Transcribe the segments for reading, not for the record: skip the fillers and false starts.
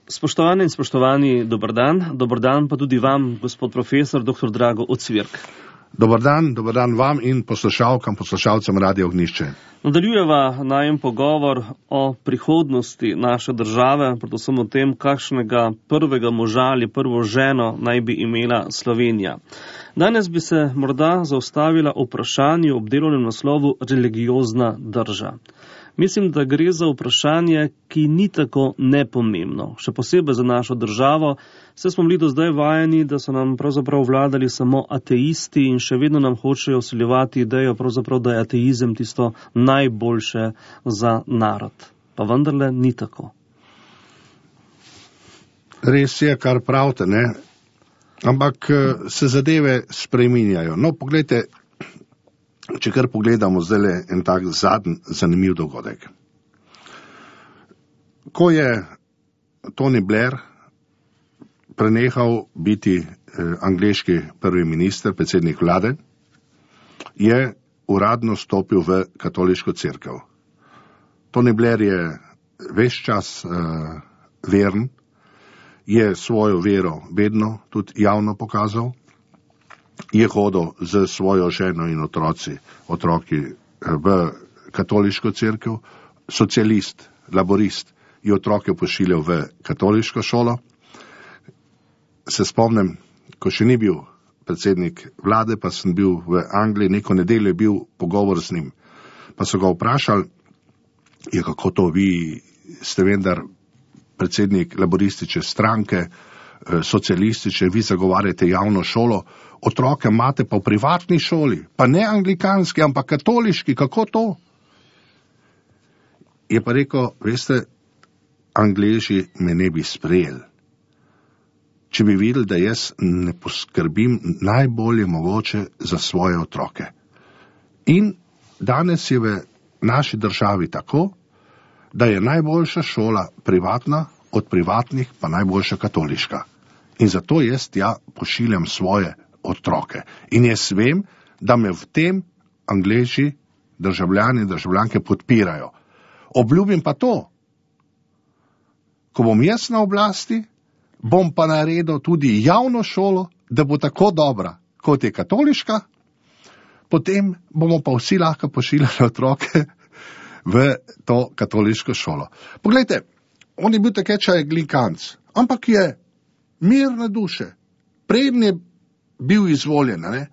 Spoštovane in spoštovani, dober dan pa tudi vam, gospod profesor, dr. Drago Ocvirk. Dober dan vam in poslušalcem Radio Ognjišče. Nadaljujeva najem pogovor o prihodnosti naše države, predvsem o tem, kakšnega prvega moža ali prvo ženo naj bi imela Slovenija. Danes bi se morda zaustavila o vprašanju ob delovnem naslovu religiozna drža. Mislim, da gre za vprašanje, ki ni tako nepomembno. Še posebej za našo državo, saj smo bili do zdaj vajeni, da so nam pravzaprav vladali samo ateisti in še vedno nam hočejo vsiljevati idejo, pravzaprav, da je ateizem tisto najboljše za narod. Pa vendarle ni tako. Res je, kar pravite, ne? Ampak se zadeve spreminjajo. No, poglejte, če kar pogledamo zdaj en tak zadnji zanimiv dogodek. Ko je Tony Blair prenehal biti angleški prvi minister, predsednik vlade, je uradno stopil v katoliško cerkev. Tony Blair je ves čas veren, je svojo vero vedno tudi javno pokazal, je hodil z svojo ženo in otroki v katoliško cerkev, socialist, laborist je otroke pošiljal v katoliško šolo. Se spomnim, ko še ni bil predsednik vlade, pa sem bil v Angliji, neko nedeljo je bil pogovor z njim. Pa so ga vprašali, kako to vi ste vendar predsednik laboristične stranke, socialistične, vi zagovarjate javno šolo, otroke imate pa v privatni šoli, pa ne anglikanski, ampak katoliški, kako to? Je pa rekel, veste, Angleži me ne bi sprejeli, če bi videli, da jaz ne poskrbim najbolje mogoče za svoje otroke. In danes je v naši državi tako, da je najboljša šola privatna, od privatnih pa najboljša katoliška. In zato jaz pošiljam svoje otroke. In jaz vem, da me v tem Angleži, državljani in državljanke podpirajo. Obljubim pa to, ko bom jaz na oblasti, bom pa naredil tudi javno šolo, da bo tako dobra, kot je katoliška, potem bomo pa vsi lahko pošiljali otroke v to katoliško šolo. Poglejte, on je bil takečaj anglikanc, ampak je mirne duše. Preden je bil izvoljen, ne?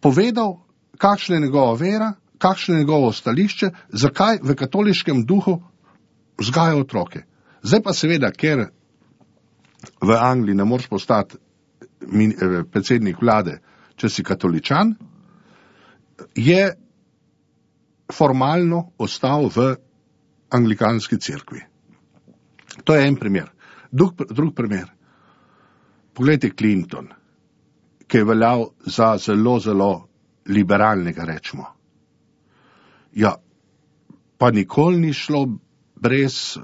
Povedal, kakšna je njegova vera, kakšno je njegovo stališče, zakaj v katoliškem duhu vzgaja otroke. Zdaj pa seveda, ker v Angliji ne moreš postati predsednik vlade, če si katoličan, je formalno ostal v anglikanski cerkvi. To je en primer. Drug primer. Poglejte Clinton, ki je veljal za zelo, zelo liberalnega, rečemo. Ja, pa nikoli ni šlo brez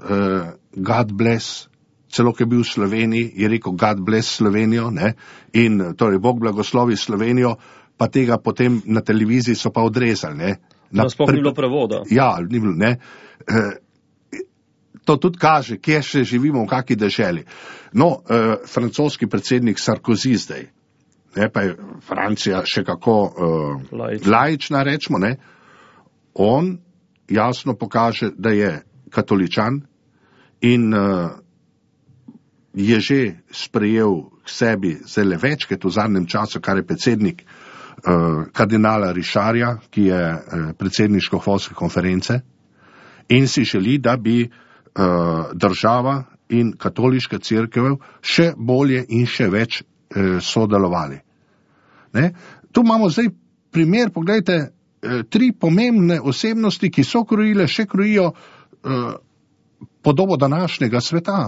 God bless, celo ki je bil v Sloveniji, je rekel God bless Slovenijo, ne? In torej Bog blagoslovi Slovenijo, pa tega potem na televiziji so pa odrezali, ne? Sploh ni bilo prevoda. Ja, ni bilo, ne. To tudi kaže, kje še živimo, v kakšni deželi. No, francoski predsednik Sarkozy zdaj, ne, pa je Francija še kako laična, rečemo, ne. On jasno pokaže, da je katoličan in je že sprejel k sebi zelo večkrat v zadnjem času, kar je predsednik kardinala Richarja, ki je predsedniško-hvalske konference, in si želi, da bi država in katoliška cerkev še bolje in še več sodelovali. Ne? Tu imamo zdaj primer, pogledajte, 3 pomembne osebnosti, ki so krojile, še krojijo podobo današnjega sveta.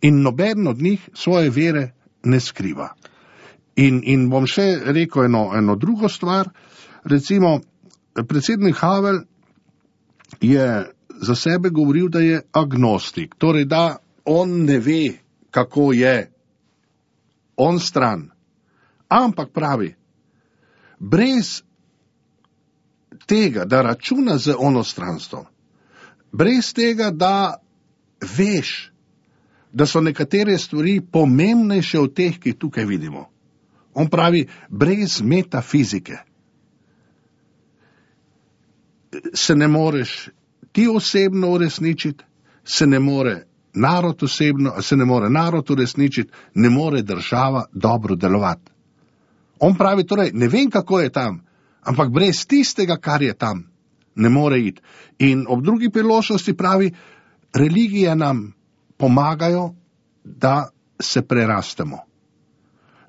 In noben od njih svoje vere ne skriva. In bom še rekel eno drugo stvar. Recimo, predsednik Havel je za sebe govoril, da je agnostik. Torej, da on ne ve, kako je on stran. Ampak pravi, brez tega, da računa z onostranstvom, brez tega, da veš, da so nekatere stvari pomembnejše od teh, ki tukaj vidimo. On pravi, brez metafizike se ne moreš ti osebno uresničiti, se ne more narod uresničiti, ne more država dobro delovati. On pravi, torej, ne vem, kako je tam, ampak brez tistega, kar je tam, ne more iti. In ob drugi priložnosti pravi, religije nam pomagajo, da se prerastemo.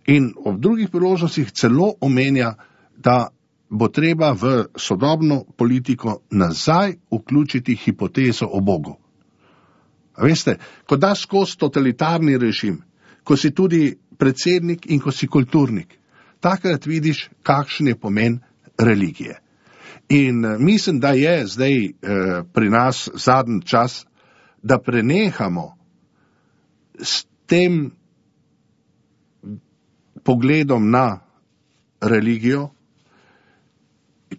In ob drugih priložnostih celo omenja, da bo treba v sodobno politiko nazaj vključiti hipotezo o Bogu. A veste, ko daš skozi totalitarni režim, ko si tudi predsednik in ko si kulturnik, takrat vidiš, kakšen je pomen religije. In mislim, da je zdaj pri nas zadnji čas, da prenehamo s tem pogledom na religijo,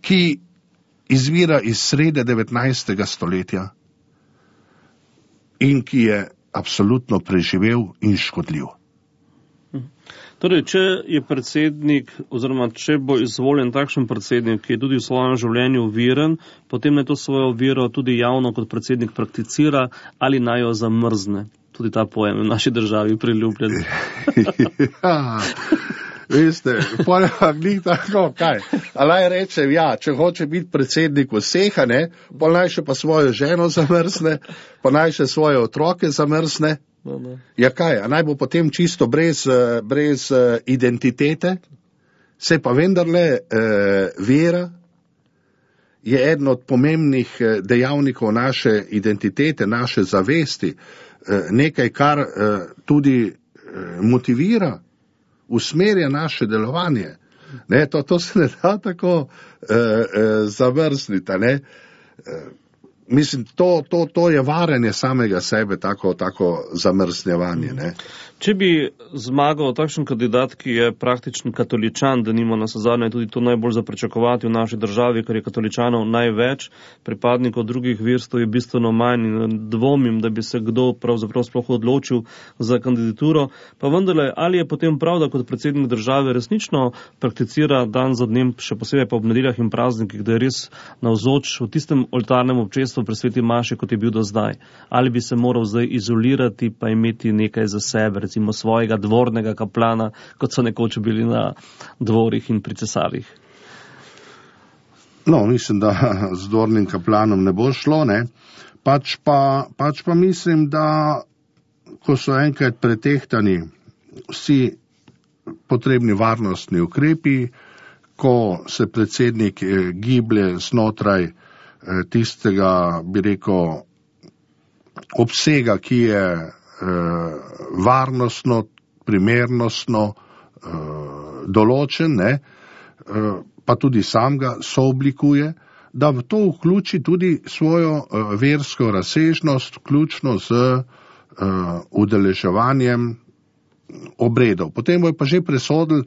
ki izvira iz srede 19. stoletja in ki je absolutno preživel in škodljiv. Torej, če je predsednik, oziroma če bo izvoljen takšen predsednik, ki je tudi v svojem življenju veren, potem naj to svojo vero tudi javno kot predsednik prakticira ali naj jo zamrzne. Tudi ta pojem v naši državi priljubljen. Ja, veste, poleg ni tako, kaj. Alaj rečem, ja, če hoče biti predsednik vseh, pol naj še pa svojo ženo zamrzne, pa naj še svoje otroke zamrzne. Ja kaj, a naj bo potem čisto brez identitete? Se pa vendarle vera je eden od pomembnih dejavnikov naše identitete, naše zavesti, nekaj, kar tudi motivira, usmerja naše delovanje. Ne, to se ne da tako zavrzniti, ne. Mislim, to je varanje samega sebe, tako zamrznjevanje, ne. Če bi zmagal takšen kandidat, ki je praktičen katoličan, da nima nazadnje tudi to najbolj za pričakovati v naši državi, ker je katoličanov največ, pripadnikov drugih verstev je bistveno manj in dvomim, da bi se kdo pravzaprav sploh odločil za kandidaturo, pa vendarle, ali je potem prav, da kot predsednik države resnično prakticira dan za dnem, še posebej pa ob nedeljah in praznikih, da je res navzoč v tistem oltarnem občestvu pri sveti maši, kot je bil do zdaj. Ali bi se moral zdaj izolirati pa imeti nekaj za sebe, recimo svojega dvornega kaplana, kot so nekoč bili na dvorih in pri cesarjih? No, mislim, da z dvornim kaplanom ne bo šlo, ne. Pač pa mislim, da ko so enkrat pretehtani vsi potrebni varnostni ukrepi, ko se predsednik giblje znotraj tistega, bi rekel, obsega, ki je varnostno, primernostno določen, ne, pa tudi sam ga sooblikuje, da v to vključi tudi svojo versko razsežnost, vključno z udeleževanjem obredov. Potem bo pa že presodil,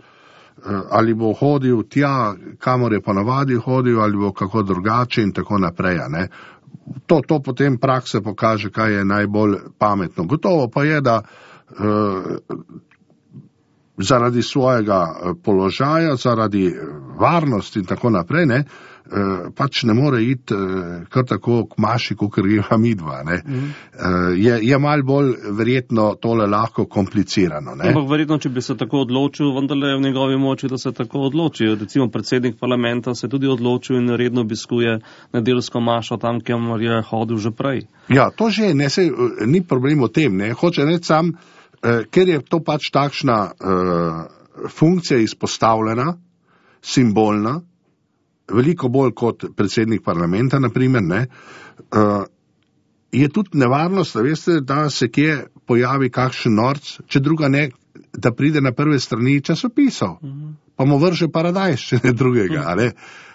ali bo hodil tja, kamor je ponavadi hodil, ali bo kako drugače in tako naprej, ne. To potem praksa pokaže, kaj je najbolj pametno. Gotovo pa je, da zaradi svojega položaja, zaradi varnosti in tako naprej, ne, pač ne more iti kar tako k maši, kakor greva midva, ne. Je malo bolj verjetno tole lahko komplicirano, ne. Ampak verjetno, če bi se tako odločil, vendarle je v njegovi moči, da se tako odloči. Recimo predsednik parlamenta se tudi odločil in redno obiskuje nedeljsko mašo tam, kjer je hodil že prej. Ja, to že ne, ni problem o tem, ne. Hoče reči sam, ker je to pač takšna funkcija izpostavljena, simbolna, veliko bolj kot predsednik parlamenta, naprimer, ne, je tudi nevarnost, veste, da se kje pojavi kakšen norc, če druga ne, da pride na prve strani časopisov, pa mu vrže paradajz, če ne drugega, ne.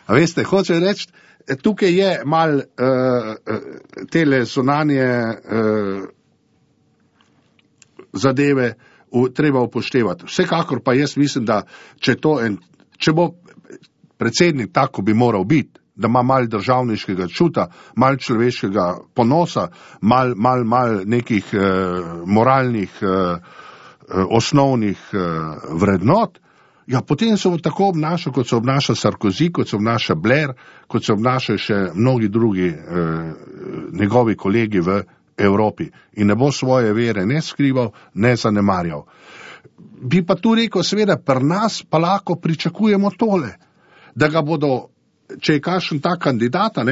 A veste, hoče reči, tukaj je mal tele zunanje zadeve treba upoštevati. Vsekakor pa jaz mislim, da če bo predsednik tako bi moral biti, da ima malo državniškega čuta, malo človeškega ponosa, malo nekih moralnih osnovnih vrednot, ja, potem se bo tako obnašal, kot se obnaša Sarkozy, kot se obnaša Blair, kot se obnašajo še mnogi drugi njegovi kolegi v Evropi. In ne bo svoje vere ne skrival, ne zanemarjal. Bi pa tu rekel, seveda, pri nas pa lahko pričakujemo tole, da ga bodo, če je kakšen ta kandidata,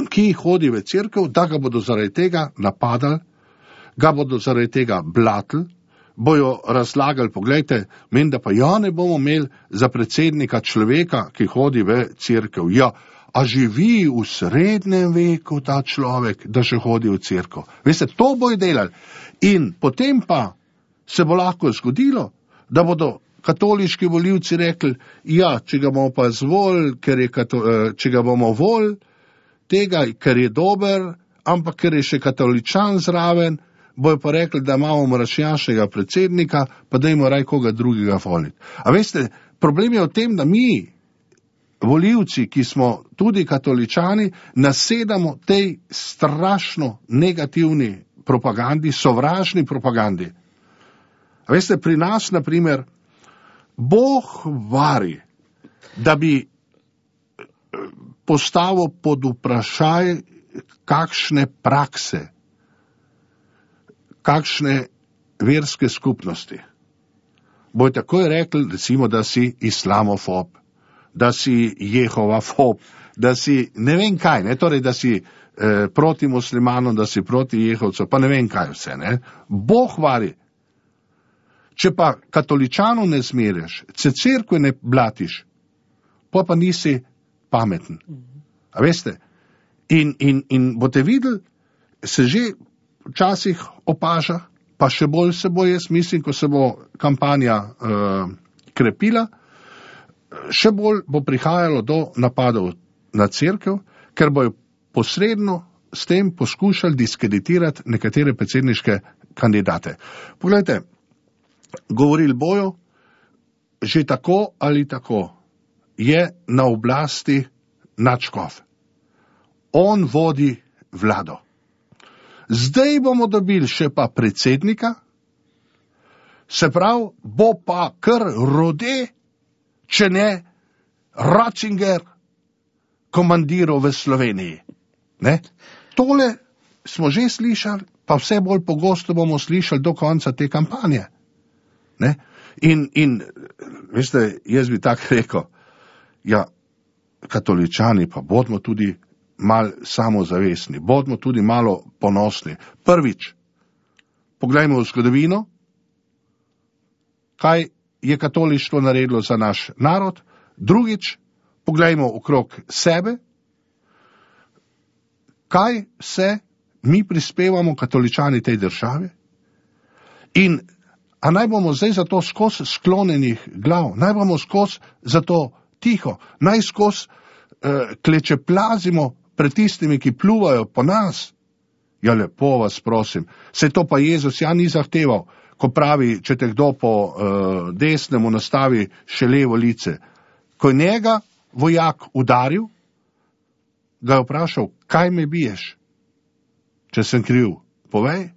ki hodi v cerkev, da ga bodo zaradi tega napadali, ga bodo zaradi tega blatili, bojo razlagali, poglejte, menda pa ja ne bomo imeli za predsednika človeka, ki hodi v cerkev. Ja, a živi v srednjem veku ta človek, da še hodi v cerkev. Veste, to bojo delali. In potem pa se bo lahko zgodilo, da bodo katoliški volivci rekli, ja, če ga bomo pa zvolili, če ga bomo volili, tega, ker je dober, ampak ker je še katoličan zraven, bojo pa rekli, da imamo mračnjaškega predsednika, pa dajmo raj koga drugega voliti. A veste, problem je v tem, da mi, volivci, ki smo tudi katoličani, nasedamo tej strašno negativni propagandi, sovražni propagandi. A veste, pri nas, na primer, Bog vari, da bi postavil pod vprašaj kakšne prakse, kakšne verske skupnosti. Bojo takoj rekli, recimo, da si islamofob, da si jehovafob, da si ne vem kaj, torej, da si proti muslimanom, da si proti jehovcu, pa ne vem kaj vse. Bog vari. Če pa katoličanov ne zmereš, če cerkve ne blatiš, pa nisi pameten. A veste? In boste videli, se že včasih opaža, pa še bolj se bo, jaz mislim, ko se bo kampanja krepila, še bolj bo prihajalo do napadov na cerkev, ker bojo posredno s tem poskušali diskreditirati nekatere predsedniške kandidate. Poglejte, govorili bojo, že tako ali tako je na oblasti nadškof. On vodi vlado. Zdaj bomo dobili še pa predsednika, se pravi, bo pa kar Rode, če ne Ratzinger, komandiral v Sloveniji. Tole smo že slišali, pa vse bolj pogosto bomo slišali do konca te kampanje. In veste, jaz bi tako rekel, ja, katoličani pa bodimo tudi malo samozavestni, bodimo tudi malo ponosni. Prvič, poglejmo v zgodovino, kaj je katolištvo naredilo za naš narod. Drugič, poglejmo okrog sebe, kaj se mi prispevamo katoličani tej državi. In a naj bomo zdaj za to skozi sklonjenih glav, naj bomo skozi za to tiho, naj skozi klečeplazimo pred tistimi, ki pluvajo po nas. Ja, lepo vas prosim, se to pa Jezus ni zahteval, ko pravi, če te kdo po desnemu nastavi še levo lice. Ko je njega vojak udaril, ga je vprašal, kaj me biješ? Če sem kriv, povej,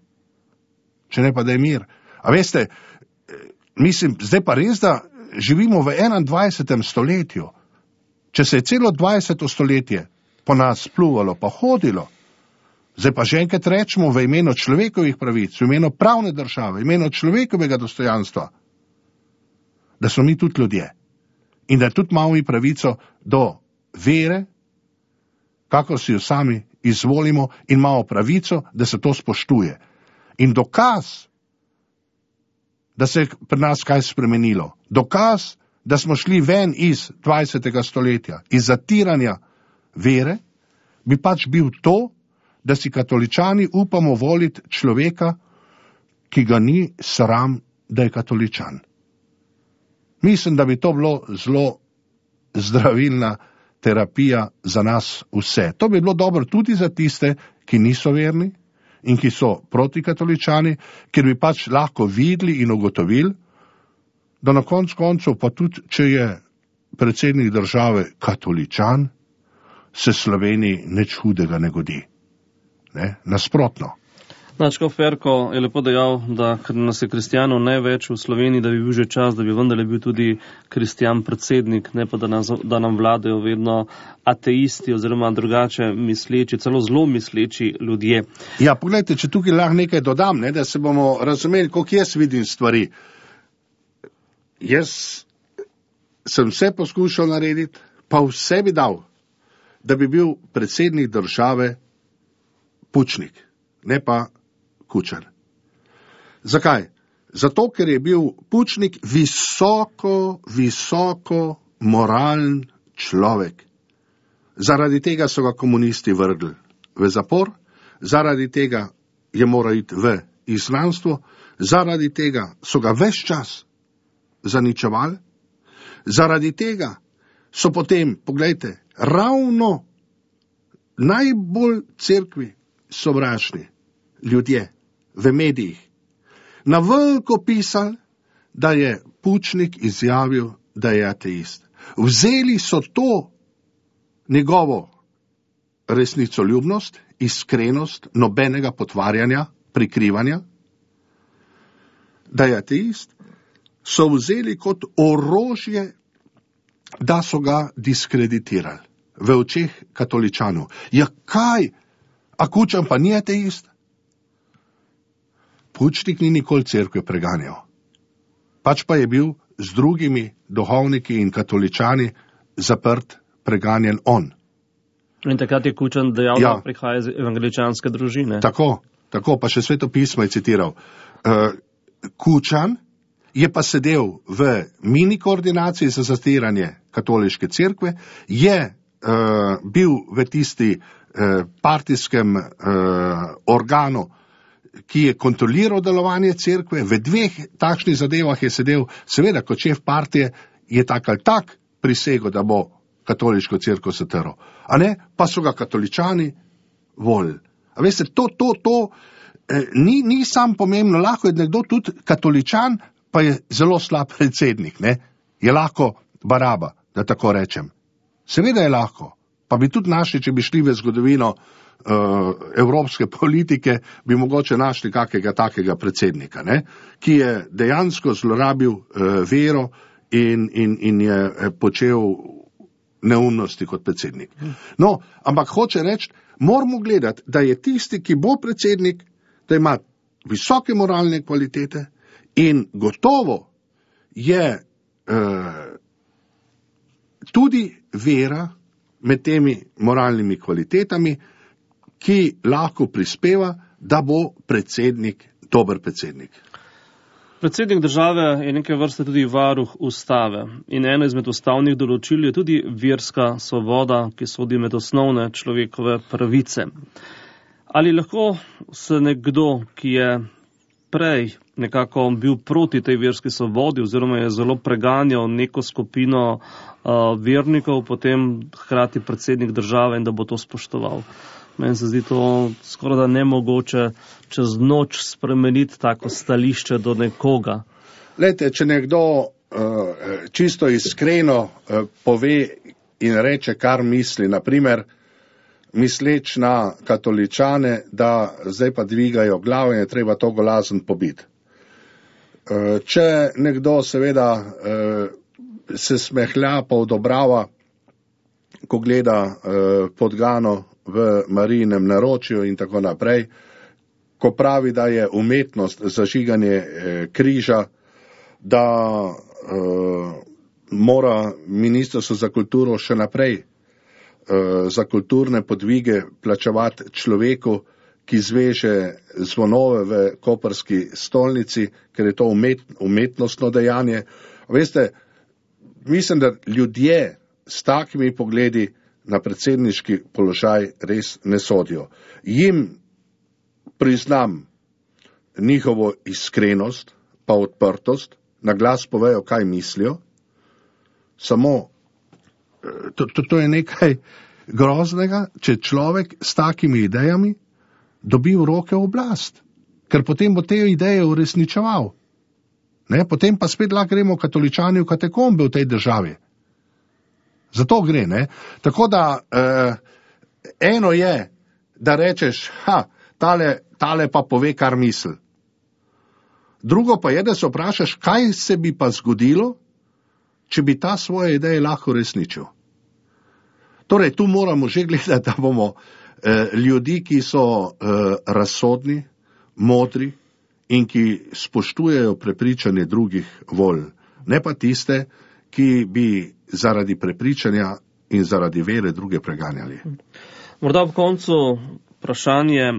če ne pa da je mir. A veste, mislim, zdaj pa res, da živimo v 21. stoletju. Če se je celo 20. stoletje po nas pluvalo pa hodilo, zdaj pa že enkrat rečemo v imenu človekovih pravic, v imenu pravne države, v imenu človekovega dostojanstva, da smo mi tudi ljudje in da tudi imamo mi pravico do vere, kako si jo sami izvolimo, in imamo pravico, da se to spoštuje. In dokaz, da se je pri nas kaj spremenilo, dokaz, da smo šli ven iz 20. stoletja, iz zatiranja vere, bi pač bil to, da si katoličani upamo voliti človeka, ki ga ni sram, da je katoličan. Mislim, da bi to bilo zelo zdravilna terapija za nas vse. To bi bilo dobro tudi za tiste, ki niso verni in ki so protikatoličani, ker bi pač lahko videli in ugotovili, da na koncu pa tudi, če je predsednik države katoličan, se Sloveniji nič hudega ne godi. Ne? Nasprotno. Načko Ferko je lepo dejal, da ker nas je kristijanov največ v Sloveniji, da bi bil že čas, da bi vendarle bil tudi kristijan predsednik, ne pa da nam vladajo vedno ateisti oziroma drugače misleči, celo zelo misleči ljudje. Ja, pogledajte, če tukaj lahko nekaj dodam, ne, da se bomo razumeli, koliko jaz vidim stvari. Jaz sem vse poskušal narediti, pa vse bi dal, da bi bil predsednik države Pučnik, ne pa Kučan. Zakaj? Zato, ker je bil Pučnik visoko moralen človek. Zaradi tega so ga komunisti vrgli v zapor, zaradi tega je moral iti v izgnanstvo, zaradi tega so ga ves čas zaničevali, zaradi tega so potem, poglejte, ravno najbolj cerkvi sovražni ljudje v medijih na veliko pisali, da je Pučnik izjavil, da je ateist. Vzeli so to njegovo resnicoljubnost, iskrenost, nobenega potvarjanja, prikrivanja, da je ateist, so vzeli kot orožje, da so ga diskreditirali v očeh katoličanov. Ja kaj? A Kučan pa ni ateist? Pučnik ni nikoli cerkve preganjal. Pač pa je bil z drugimi duhovniki in katoličani zaprt, preganjen on. In takrat je Kučan dejal, da prihaja iz evangeličanske družine. Tako, pa še Sveto pismo je citiral. Kučan je pa sedel v mini koordinaciji za zatiranje katoliške cerkve, je bil v tisti partijskem organu, ki je kontroliral delovanje cerkve, v 2 takšnih zadevah je sedel, seveda kot šef partije je tak ali tak prisegel, da bo katoliško cerkev zatrl. A ne, pa so ga katoličani volili. A veste, to ni sam pomembno, lahko je nekdo tudi katoličan, pa je zelo slab predsednik, ne? Je lahko baraba, da tako rečem. Seveda je lahko, pa bi tudi našli, če bi šli v zgodovino evropske politike, bi mogoče našli kakega takega predsednika, ne? Ki je dejansko zlorabil vero in je počel neumnosti kot predsednik. No, ampak hoče reči, moramo gledati, da je tisti, ki bo predsednik, da ima visoke moralne kvalitete in gotovo je tudi vera med temi moralnimi kvalitetami, ki lahko prispeva, da bo predsednik dober predsednik. Predsednik države je neke vrste tudi varuh ustave in eno izmed ustavnih določil je tudi verska svoboda, ki sodi med osnovne človekove pravice. Ali lahko se nekdo, ki je prej nekako bil proti tej verski svobodi oziroma je zelo preganjal neko skupino vernikov, potem hkrati predsednik države in da bo to spoštoval? Meni se zdi to skoraj da nemogoče čez noč spremeniti tako stališče do nekoga. Glejte, če nekdo čisto iskreno pove in reče, kar misli, naprimer, misleč na katoličane, da zdaj pa dvigajo glavo in je treba to golazen pobiti. Če nekdo seveda se smehlja pa odobrava, ko gleda podgano v Marijinem naročju in tako naprej, ko pravi, da je umetnost zažiganje križa, da mora Ministrstvo za kulturo še naprej za kulturne podvige plačevati človeku, ki zveže zvonove v koprski stolnici, ker je to umetnostno dejanje. Veste, mislim, da ljudje s takimi pogledi na predsedniški položaj res ne sodijo. Jim priznam njihovo iskrenost pa odprtost, na glas povejo, kaj mislijo, samo to je nekaj groznega, če človek s takimi idejami dobi v roke oblast, ker potem bo te ideje uresničeval. Ne, potem pa spet lahko gremo katoličani v katakombe v tej državi. Zato gre, ne? Tako da eno je, da rečeš, tale pa pove, kar misli. Drugo pa je, da se vprašaš, kaj se bi pa zgodilo, če bi ta svoje ideje lahko resničil. Torej, tu moramo že gledati, da bomo ljudi, ki so razsodni, modri in ki spoštujejo prepričanje drugih volj, ne pa tiste, ki bi zaradi prepričanja in zaradi vere druge preganjali. Morda v koncu vprašanje,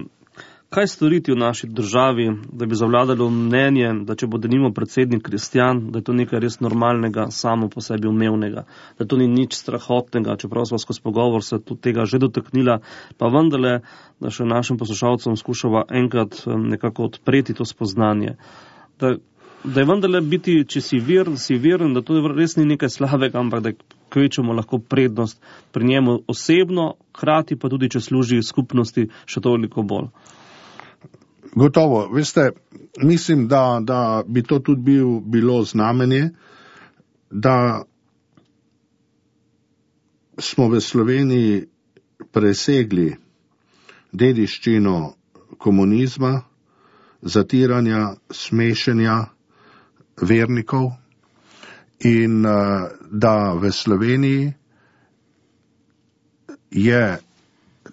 kaj storiti v naši državi, da bi zavladalo mnenje, da če bo denimo predsednik kristjan, da je to nekaj res normalnega, samo po sebi umevnega, da to ni nič strahotnega, čeprav smo skozi pogovor se tudi tega že dotaknila, pa vendarle, da še našim poslušalcem skušava enkrat nekako odpreti to spoznanje. Da je vendarle biti, če si veren, da to res ni nekaj slabega, ampak da kvečemo lahko prednost pri njemu osebno, hkrati pa tudi, če služi skupnosti, še toliko bolj. Gotovo, veste, mislim, da bi to tudi bilo znamenje, da smo v Sloveniji presegli dediščino komunizma, zatiranja, smešenja vernikov in da v Sloveniji je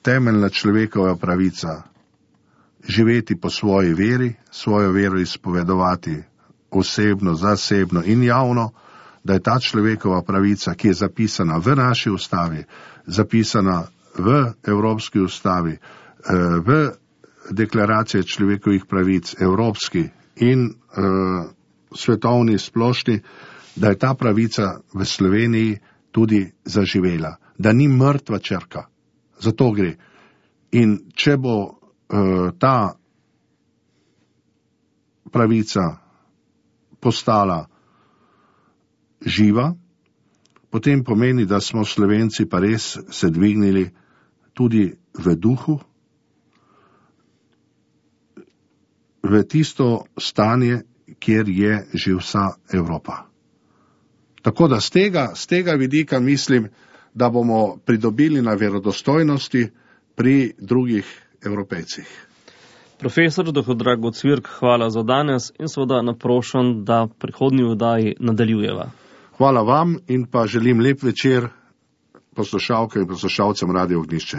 temeljna človekova pravica živeti po svoji veri, svojo vero izpovedovati osebno, zasebno in javno, da je ta človekova pravica, ki je zapisana v naši ustavi, zapisana v Evropski ustavi, v deklaraciji človekovih pravic, evropski in svetovni splošni, da je ta pravica v Sloveniji tudi zaživela, da ni mrtva črka. Zato gre. In če bo ta pravica postala živa, potem pomeni, da smo Slovenci pa res se dvignili tudi v duhu, v tisto stanje, kjer je že vsa Evropa. Tako da z tega vidika mislim, da bomo pridobili na verodostojnosti pri drugih Evropejcih. Profesor dr. Drago Cvirk, hvala za danes in seveda naprošam, da prihodnji oddaji nadaljujeva. Hvala vam in pa želim lep večer poslušalkam in poslušalcem Radio Ognjišče.